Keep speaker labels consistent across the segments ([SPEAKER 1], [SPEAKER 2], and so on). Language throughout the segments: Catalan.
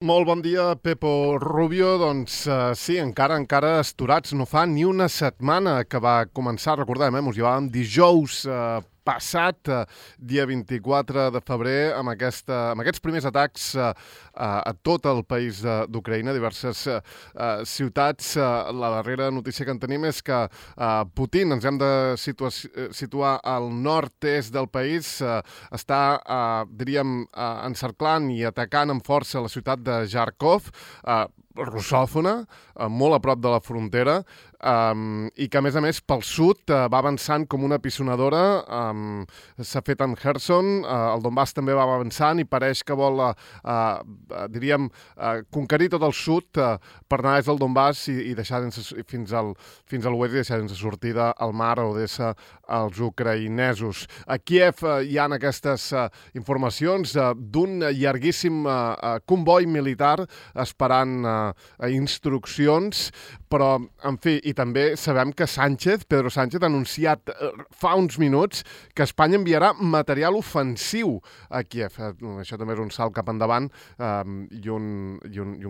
[SPEAKER 1] Molt bon dia, Pepo Rubio. Doncs sí, encara esturats. No fa ni una setmana que va començar, recordem, mos llevàvem dijous passat, dia 24 de febrer, amb aquests primers atacs a tot el país d'Ucraïna, diverses ciutats. La darrera notícia que en tenim és que Putin, ens hem de situar al nord-est del país, està, diríem, encerclant i atacant amb força la ciutat de Kharkov, russòfona, molt a prop de la frontera, i que, a més, pel sud va avançant com una pisonadora. S'ha fet amb Kherson, el Donbass també va avançant i pareix que vol, diríem, conquerir tot el sud per anar des del Donbass i deixar fins a l'oest i deixar sense sortida al mar a Odessa als ucraïnesos. A Kiev hi ha aquestes informacions d'un llarguíssim comboi militar esperant instruccions, però, en fi, i també sabem que Pedro Sánchez, ha anunciat fa uns minuts que Espanya enviarà material ofensiu a Kiev. Això també és un salt cap endavant i un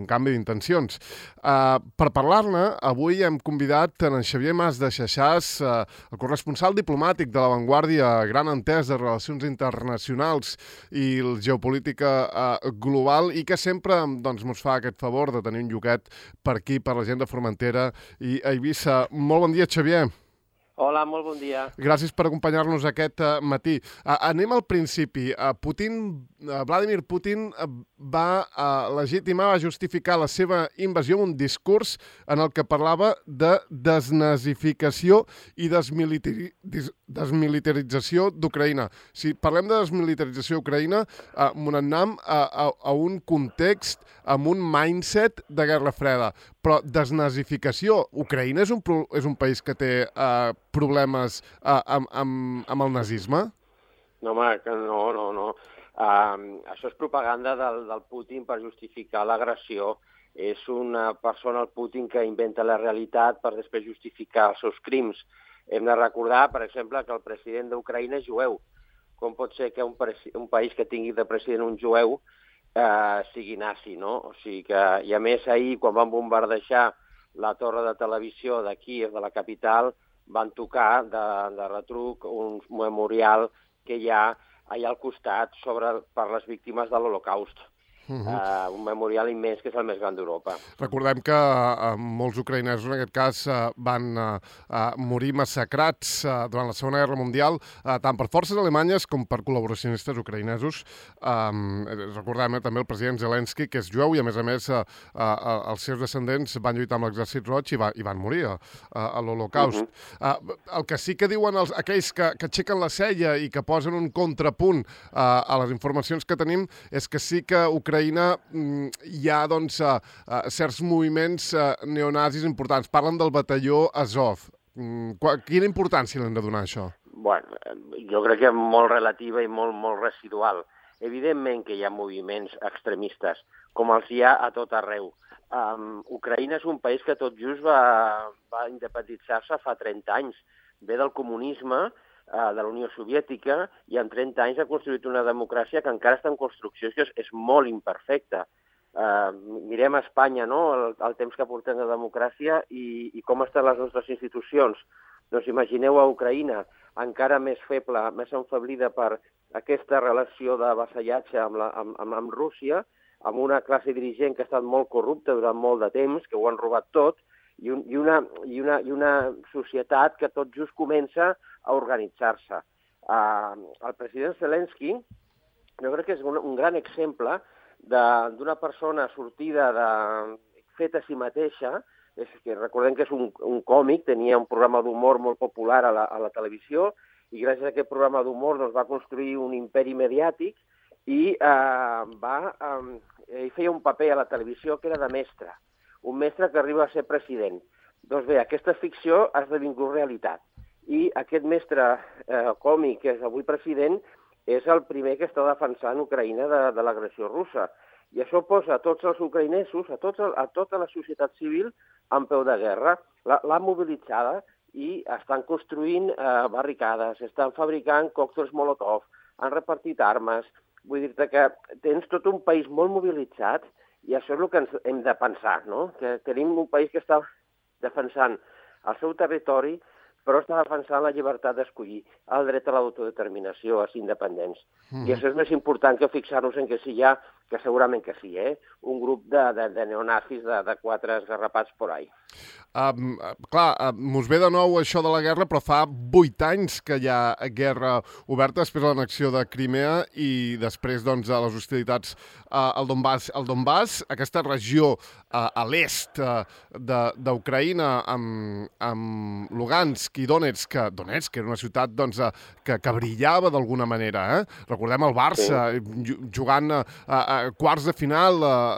[SPEAKER 1] canvi d'intencions. Per parlar-ne, avui hem convidat en Xavier Mas de Xaxàs, el corresponsal diplomàtic de La Vanguardia, gran entès de relacions internacionals i geopolítica global, i que sempre ens fa aquest favor de tenir un lloquet per aquí, per la gent de Formentera i a Eivissa. Molt bon dia, Xavier.
[SPEAKER 2] Hola, molt bon dia.
[SPEAKER 1] Gràcies per acompanyar-nos aquest matí. Anem al principi. Vladimir Putin va legitimar, va justificar la seva invasió amb un discurs en el que parlava de desnazificació i desmilitarització d'Ucraïna. Si parlem de desmilitarització d'Ucraïna, m'anem a un context, amb un mindset de Guerra Freda. Però desnazificació, Ucraïna és un país que té problemes amb el nazisme?
[SPEAKER 2] No, home, que no. Això és propaganda del Putin per justificar l'agressió. És una persona, el Putin, que inventa la realitat per després justificar els seus crims. Hem de recordar, per exemple, que el president d'Ucraïna és jueu. Com pot ser que un país que tingui de president un jueu sigui nazi, no? O sigui que, i a més ahir, quan van bombardejar la torre de televisió de Kíev, de la capital, van tocar de retruc un memorial que hi ha allà al costat per les víctimes de l'Holocaust. Un memorial immens que és el més gran d'Europa.
[SPEAKER 1] Recordem que molts ucraïnesos, en aquest cas, van morir massacrats durant la Segona Guerra Mundial, tant per forces alemanyes com per col·laboracionistes ucraïnesos. Recordem també el president Zelensky, que és jueu, i a més, els seus descendents van lluitar amb l'Exèrcit Roig i van morir a l'Holocaust. El que sí que diuen aquells que aixequen la cella i que posen un contrapunt a les informacions que tenim és que sí que Ucraïna hi ha certs moviments neonazis importants. Parlen del batalló Azov. Quina importància li hem de donar a això?
[SPEAKER 2] Bueno, jo crec que és molt relativa i molt residual. Evidentment que hi ha moviments extremistes, com els hi ha a tot arreu. Ucraïna és un país que tot just va independitzar-se fa 30 anys. Ve del comunisme, de la Unió Soviètica, i en 30 anys ha construït una democràcia que encara està en construcció, que és molt imperfecta. Mirem a Espanya, no?, el temps que portem de democràcia i com estan les nostres institucions. Doncs imagineu a Ucraïna, encara més feble, més enfeblida per aquesta relació de vassallatge amb Rússia, amb una classe dirigent que ha estat molt corrupta durant molt de temps, que ho han robat tot, i una societat que tot just comença a organitzar-se. El president Zelensky, jo crec que és un gran exemple d'una persona sortida feta a si mateixa. Que recordem que és un còmic, tenia un programa d'humor molt popular a la televisió, i gràcies a aquest programa d'humor va construir un imperi mediàtic i feia un paper a la televisió que era de mestre. Un mestre que arriba a ser president. Doncs bé, aquesta ficció ha esdevingut realitat. I aquest mestre còmic, que és avui president, és el primer que està defensant Ucraïna de l'agressió russa. I això posa a tots els ucraïnesos, a tota la societat civil, en peu de guerra. L'ha mobilitzada i estan construint barricades, estan fabricant còctels Molotov, han repartit armes. Vull dir-te que tens tot un país molt mobilitzat I això és el que ens hem de pensar, no? Que tenim un país que està defensant el seu territori, però està defensant la llibertat d'escollir, el dret a l'autodeterminació, a ser independents. I això és més important que fixar-nos en que si hi ha, que segurament que sí, un grup de neonazis de 4 esgarrapats por ahí.
[SPEAKER 1] Mos ve de nou això de la guerra, però fa 8 anys que hi ha guerra oberta després de l'annexió de Crimea i després doncs, a les hostilitats al Donbass, aquesta regió a l'est d'Ucraïna amb Lugansk i Donetsk era una ciutat doncs, que brillava d'alguna manera. Recordem el Barça jugant a quarts de final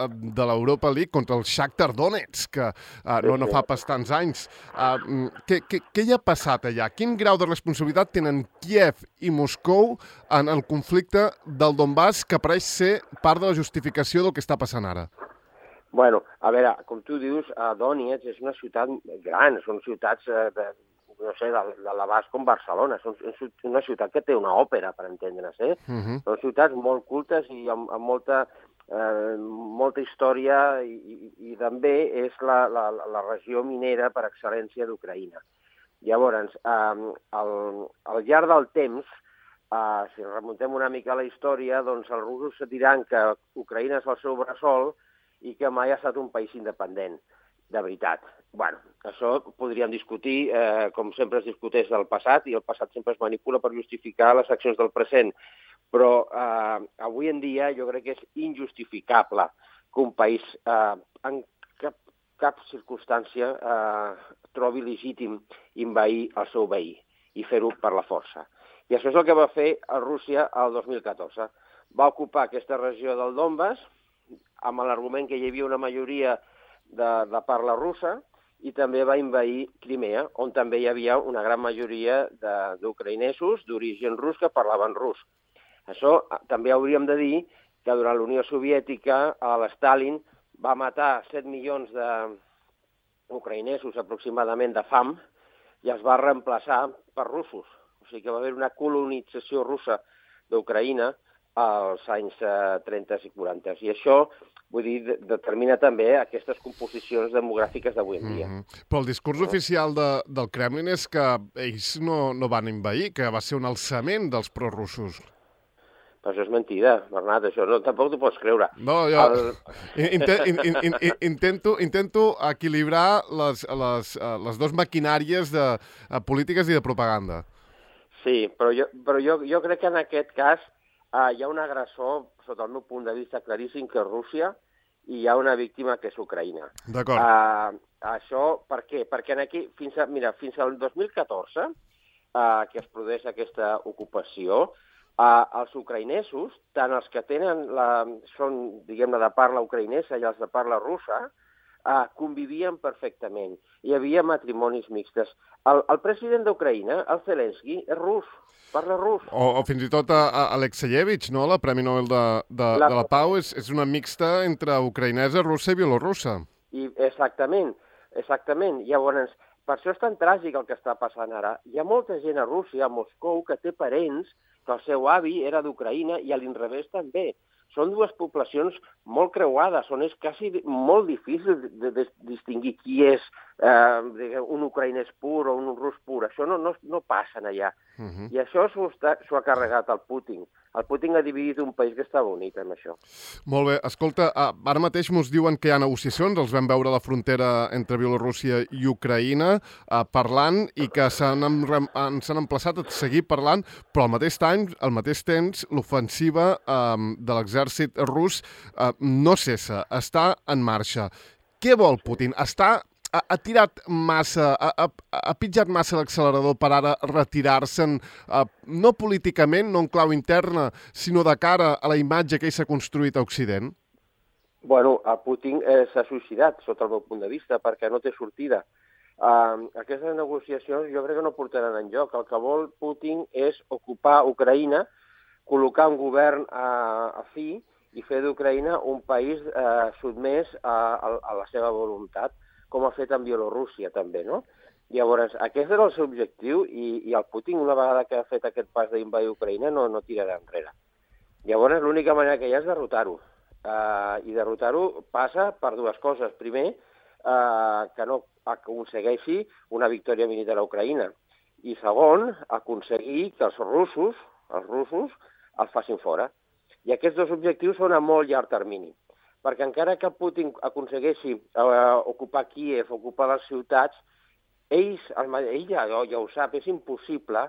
[SPEAKER 1] de l'Europa League contra el Shakhtar Donetsk, no fa pas tants anys. Què hi ha passat allà? Quin grau de responsabilitat tenen Kíev i Moscou en el conflicte del Donbass, que pareix ser part de la justificació del que està passant ara?
[SPEAKER 2] Bueno, a veure, com tu dius, Donetsk és una ciutat gran, són ciutats de l'abast com Barcelona, és una ciutat que té una òpera, per entendre's, Són ciutats molt cultes i amb molta història i també és la regió minera per excel·lència d'Ucraïna. Llavors, al llarg del temps, si remuntem una mica a la història, doncs els russos diran que Ucraïna és el seu bressol i que mai ha estat un país independent, de veritat. Bueno, això podríem discutir, com sempre es discuteix del passat, i el passat sempre es manipula per justificar les accions del present. Però avui en dia jo crec que és injustificable que un país en cap circumstància trobi legítim envair el seu veí i fer-ho per la força. I això és el que va fer Rússia el 2014. Va ocupar aquesta regió del Donbass amb l'argument que hi havia una majoria de parla russa i també va envair Crimea, on també hi havia una gran majoria d'ucraïnesos d'origen rus que parlaven rus. Això també hauríem de dir que durant la Unió Soviètica l'Stalin va matar 7 milions d'ucraïnesos aproximadament de fam i els va reemplaçar per russos. O sigui que va haver una colonització russa d'Ucraïna als anys 30 i 40. I això, vull dir, determina també aquestes composicions demogràfiques d'avui en dia.
[SPEAKER 1] Però el discurs oficial del Kremlin és que ells no van envair, que va ser un alçament dels prorussos.
[SPEAKER 2] Però això és mentida, Bernat, això tampoc t'ho pots creure.
[SPEAKER 1] No, jo intento equilibrar les dues maquinàries polítiques i de propaganda.
[SPEAKER 2] Sí, però jo crec que en aquest cas hi ha un agressor, sota el meu punt de vista claríssim, que és Rússia, i hi ha una víctima que és Ucraïna.
[SPEAKER 1] D'acord.
[SPEAKER 2] Això per què? Perquè aquí, fins al 2014, que es produeix aquesta ocupació, els ucraïnesos, tant els que són, diguem-ne, de parla ucraïnesa i els de parla russa, convivien perfectament. Hi havia matrimonis mixtes. El president d'Ucraïna, el Zelensky, és rus, parla rus.
[SPEAKER 1] O fins i tot Alexeyevich, no? La Premi Nobel de la Pau és una mixta entre ucraïnesa, russa i bielorussa.
[SPEAKER 2] Exactament. Llavors, per això és tan tràgic el que està passant ara. Hi ha molta gent a Rússia, a Moscou, que té parents que el seu avi era d'Ucraïna i a l'inrevés també. Són dues poblacions molt creuades, on és quasi molt difícil de distingir qui és un ucraïnès pur o un rus pur. Això no passa allà. I això s'ho ha carregat el Putin. El Putin ha dividit un país que està bonic amb això.
[SPEAKER 1] Molt bé. Escolta, ara mateix ens diuen que hi ha negociacions, els vam veure a la frontera entre Bielorússia i Ucraïna parlant i que s'han emplaçat a seguir parlant, però al mateix temps l'ofensiva de l'exèrcit rus no cessa, està en marxa. Què vol Putin? Ha tirat massa, ha pitjat massa l'accelerador per ara retirar-se'n, no políticament, no en clau interna, sinó de cara a la imatge que ell s'ha construït a Occident?
[SPEAKER 2] Bueno, Putin s'ha suïcidat, sota el meu punt de vista, perquè no té sortida. Aquestes negociacions jo crec que no portaran enlloc. El que vol Putin és ocupar Ucraïna, col·locar un govern afí i fer d'Ucraïna un país sotmès a la seva voluntat, com ha fet en Bielorússia també, no? Llavors, aquest era el seu objectiu i el Putin, una vegada que ha fet aquest pas d'invadir Ucraïna, no tirarà enrere. Llavors, l'única manera que hi ha és derrotar-ho. I derrotar-ho passa per dues coses. Primer, que no aconsegueixi una victòria militar a Ucraïna. I segon, aconseguir que els russos el facin fora. I aquests dos objectius són a molt llarg termini. Perquè encara que Putin aconsegueixi ocupar Kíev, ocupar les ciutats, ell ja ho sap, és impossible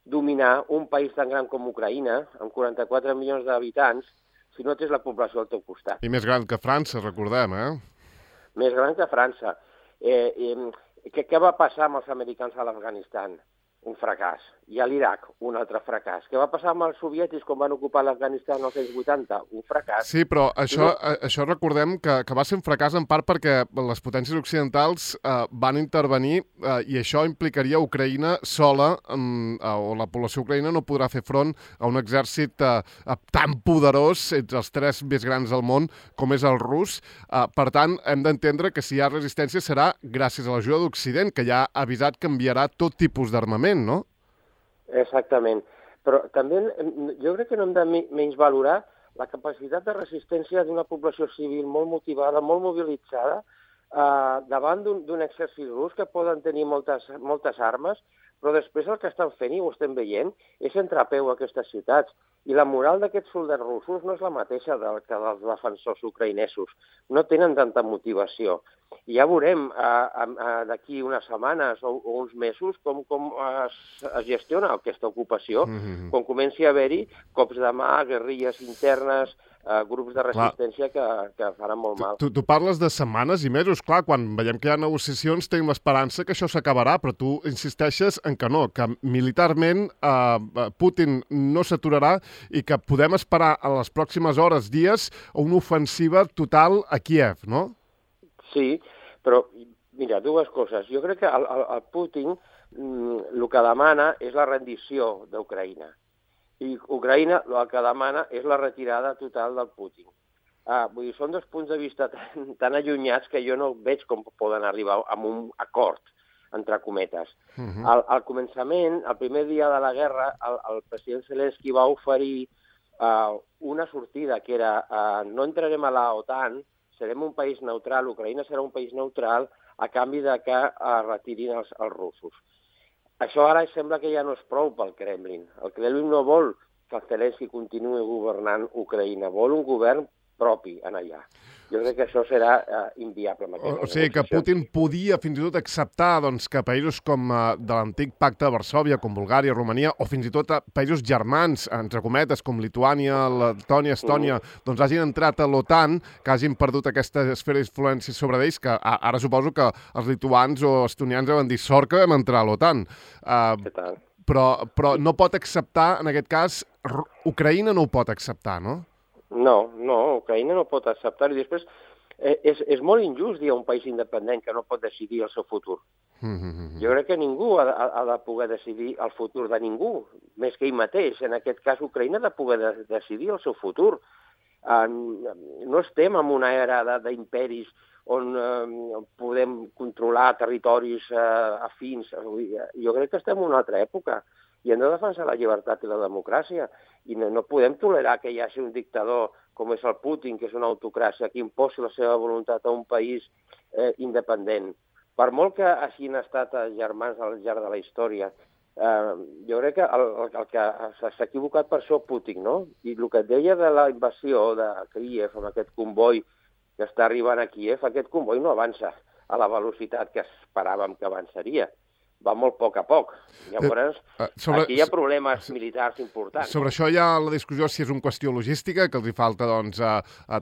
[SPEAKER 2] dominar un país tan gran com Ucraïna, amb 44 milions d'habitants, si no tens la població al teu costat.
[SPEAKER 1] I més gran que França, recordem,
[SPEAKER 2] Més gran que França. Què va passar amb els americans a l'Afganistan? Un fracàs. I a l'Iraq, un altre fracàs. Què va passar amb els soviètics quan van ocupar l'Afganistan als anys 80? Un fracàs.
[SPEAKER 1] Sí, però això recordem que va ser un fracàs en part perquè les potències occidentals van intervenir i això implicaria Ucraïna sola, o la població ucraïna no podrà fer front a un exèrcit tan poderós entre els tres més grans del món com és el rus. Per tant, hem d'entendre que si hi ha resistència serà gràcies a l'ajuda d'Occident, que ja ha avisat que enviarà tot tipus d'armament, no?
[SPEAKER 2] Exactament. Però també jo crec que no hem de menys valorar la capacitat de resistència d'una població civil molt motivada, molt mobilitzada, davant d'un exèrcit rus que poden tenir moltes armes, però després el que estan fent, i ho estem veient, és entrar a peu a aquestes ciutats. I la moral d'aquests soldats russos no és la mateixa que dels defensors ucraïnesos. No tenen tanta motivació. I ja veurem d'aquí unes setmanes o uns mesos com es gestiona aquesta ocupació, quan comenci a haver-hi cops de mà, guerrilles internes, grups de resistència que faran molt mal.
[SPEAKER 1] Tu parles de setmanes i mesos. Clar, quan veiem que hi ha negociacions tenim l'esperança que això s'acabarà, però tu insisteixes en que no, que militarment Putin no s'aturarà i que podem esperar a les pròximes hores, dies, una ofensiva total a Kíev, no?
[SPEAKER 2] Sí, però, mira, dues coses. Jo crec que el Putin el que demana és la rendició d'Ucraïna. I Ucraïna el que demana és la retirada total del Putin. Vull dir, són dos punts de vista tan allunyats que jo no veig com poden arribar a un acord, entre cometes. Al començament, el primer dia de la guerra, el president Zelensky va oferir una sortida que era no entrarem a la OTAN, serem un país neutral, Ucraïna serà un país neutral a canvi de que retirin els russos. Això ara sembla que ja no és prou pel Kremlin. El Kremlin no vol que el Zelensky continuï governant Ucraïna, vol un govern propi en allà. Jo crec que això serà inviable.
[SPEAKER 1] O sigui que Putin podia fins i tot acceptar que països com de l'antic pacte de Varsòvia, com Bulgària, Romania, o fins i tot països germans, entre cometes, com Lituània, Letònia, Estònia, hagin entrat a l'OTAN, que hagin perdut aquesta esfera d'influència sobre ells, que ara suposo que els lituans o estonians deuen dir sort que vam entrar a l'OTAN. Però no pot acceptar, en aquest cas, Ucraïna no ho pot acceptar, no?
[SPEAKER 2] No, Ucraïna no pot acceptar-ho. I després és molt injust dir a un país independent que no pot decidir el seu futur. Jo crec que ningú ha de poder decidir el futur de ningú, més que ell mateix. En aquest cas, Ucraïna ha de poder decidir el seu futur. No estem en una era d'imperis on podem controlar territoris afins. Jo crec que estem en una altra època i hem de defensar la llibertat i la democràcia. I no podem tolerar que hi hagi un dictador com és el Putin, que és una autocràcia, que imposi la seva voluntat a un país independent. Per molt que hagin estat germans al llarg de la història, jo crec que el que s'ha equivocat per això Putin, no? I el que et deia de la invasió de Kíev, amb aquest comboi que està arribant a Kíev, aquest comboi no avança a la velocitat que esperàvem que avançaria. Va molt a poc. Llavors, aquí hi ha problemes militars importants.
[SPEAKER 1] Sobre això hi ha la discussió si és una qüestió logística, que els hi falta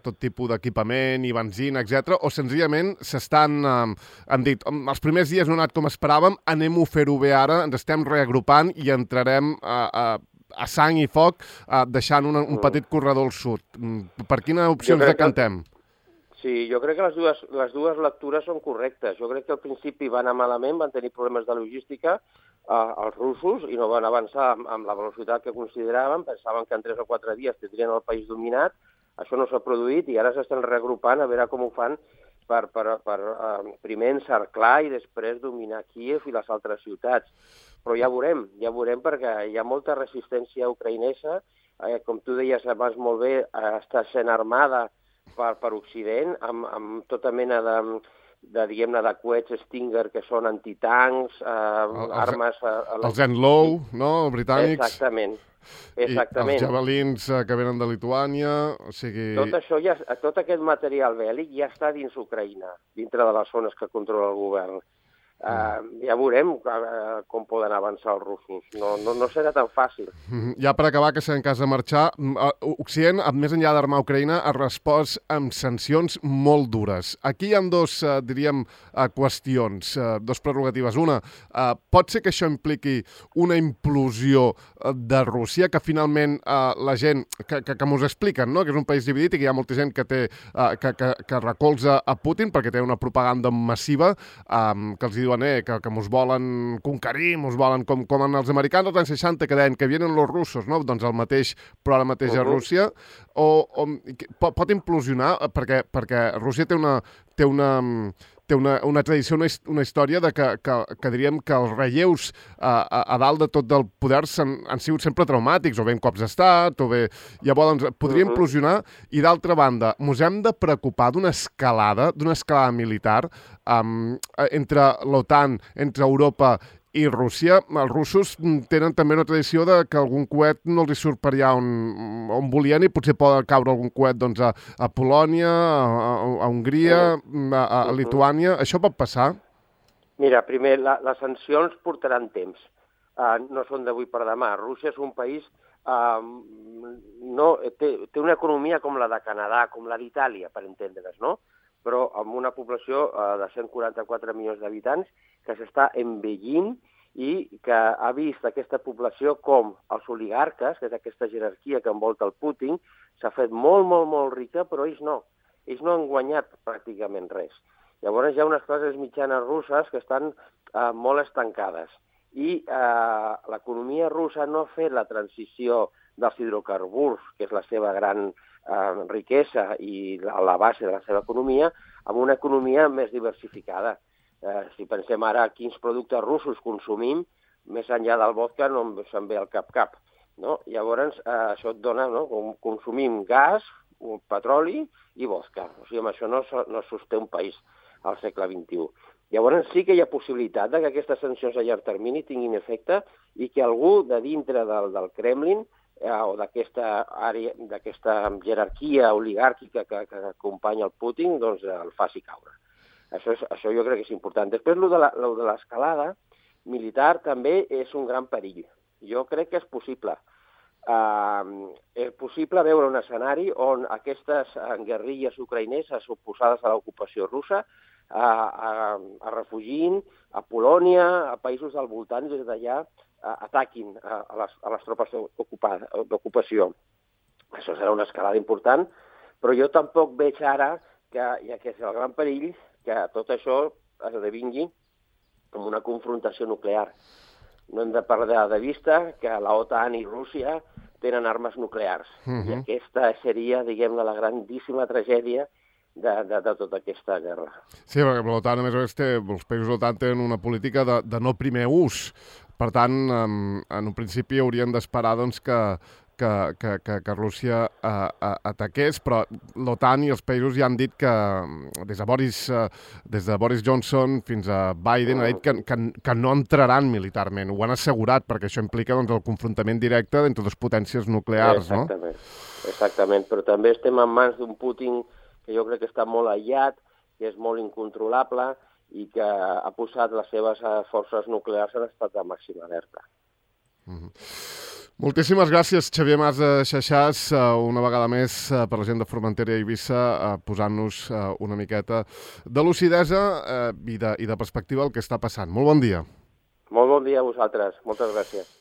[SPEAKER 1] tot tipus d'equipament i benzina, etc. O senzillament han dit, els primers dies no ha anat com esperàvem, anem-ho a fer-ho bé ara, ens estem reagrupant i entrarem a sang i foc, deixant un petit corredor al sud. Per quina opció ens decantem?
[SPEAKER 2] Sí, jo crec que les dues lectures són correctes. Jo crec que al principi van anar malament, van tenir problemes de logística els russos i no van avançar amb la velocitat que consideraven, pensaven que en 3 o 4 dies tindrien el país dominat, això no s'ha produït i ara s'estan reagrupant a veure com ho fan per primer encerclar i després dominar Kíev i les altres ciutats. Però ja veurem perquè hi ha molta resistència ucraïnesa, com tu deies abans molt bé, està sent armada per Occident, amb tota mena diguem-ne, de coets Stinger que són antitancs, armes...
[SPEAKER 1] Els Enlow, no?, britànics.
[SPEAKER 2] Exactament.
[SPEAKER 1] I els javelins que venen de Lituània, o sigui...
[SPEAKER 2] Tot aquest material bèl·lic ja està dins Ucraïna, dintre de les zones que controla el govern. Ja veurem com poden avançar els russos. No serà tan fàcil.
[SPEAKER 1] Ja per acabar, que serà en cas de marxar, Occident, més enllà d'armar Ucraïna, ha respost amb sancions molt dures. Aquí hi ha dos, diríem, qüestions, dos prerrogatives. Una, pot ser que això impliqui una implosió de Rússia, que finalment la gent, que m'ho expliquen, no?, que és un país dividit i que hi ha molta gent que recolza a Putin perquè té una propaganda massiva que els diuen que mos volen conquerir, mos volen com en els americans dels anys 60 que deien que vienen los russos, no? Doncs el mateix, però ara mateix a Rússia, o pot implosionar perquè Rússia té una tradició, una història de que diríem que els relleus a dalt de tot del poder han sigut sempre traumàtics, o bé en cops d'estat, o bé... Llavors, podria implosionar, i d'altra banda, ens hem de preocupar d'una escalada militar entre l'OTAN, entre Europa i Rússia. Els russos tenen també una tradició de que algun coet no els surt per allà on volien i potser pot caure algun coet doncs, a Polònia, a Hongria, a Lituània. Això pot passar?
[SPEAKER 2] Mira, primer, les sancions portaran temps. No són d'avui per demà. Rússia és un país... té una economia com la de Canadà, com la d'Itàlia, per entendre's, no? Però amb una població de 144 milions d'habitants que s'està envellint i que ha vist aquesta població com els oligarques, que és aquesta jerarquia que envolta el Putin, s'ha fet molt, molt, molt rica, però ells no. Ells no han guanyat pràcticament res. Llavors hi ha unes classes mitjanes russes que estan molt estancades. I l'economia russa no ha fet la transició dels hidrocarburs, que és la seva gran riquesa i la base de la seva economia, amb una economia més diversificada. Si pensem ara quins productes russos consumim, més enllà del vodka no se'n ve al cap. No? Llavors, això et dona, no? Consumim gas, petroli i vodka. O sigui, amb això no sosté un país al segle XXI. Llavors sí que hi ha possibilitat que aquestes sancions a llarg termini tinguin efecte i que algú de dintre del Kremlin o d'aquesta jerarquia oligàrquica que acompanya el Putin, doncs el faci caure. Això jo crec que és important. Després, el de l'escalada militar també és un gran perill. Jo crec que és possible. És possible veure un escenari on aquestes guerrilles ucraïneses oposades a l'ocupació russa es refugin a Polònia, a països del voltant, des d'allà ataquin a les tropes d'ocupació. Això serà una escalada important, però jo tampoc veig ara, ja que és el gran perill, que tot això esdevingui com una confrontació nuclear. No hem de perdre de vista que l'OTAN i Rússia tenen armes nuclears. I aquesta seria, diguem-ne, la grandíssima tragèdia de tota aquesta guerra.
[SPEAKER 1] Sí, perquè l'OTAN, a més a més, els països de l'OTAN tenen una política de no primer ús. Per tant, en un principi haurien d'esperar doncs, que Rússia ataqués, però l'OTAN i els països ja han dit que, des de Boris Johnson fins a Biden, ha dit que no entraran militarment. Ho han assegurat, perquè això implica doncs, el confrontament directe entre dues potències nuclears, no?
[SPEAKER 2] Exactament, però també estem en mans d'un Putin que jo crec que està molt aïllat, que és molt incontrolable i que ha posat les seves forces nuclears en estat de màxima alerta.
[SPEAKER 1] Moltíssimes gràcies, Xavier Mas de Xaxàs, una vegada més per la gent de Formentera i Eivissa, posant-nos una miqueta de lucidesa i de perspectiva al que està passant. Molt bon dia.
[SPEAKER 2] Molt bon dia a vosaltres. Moltes gràcies.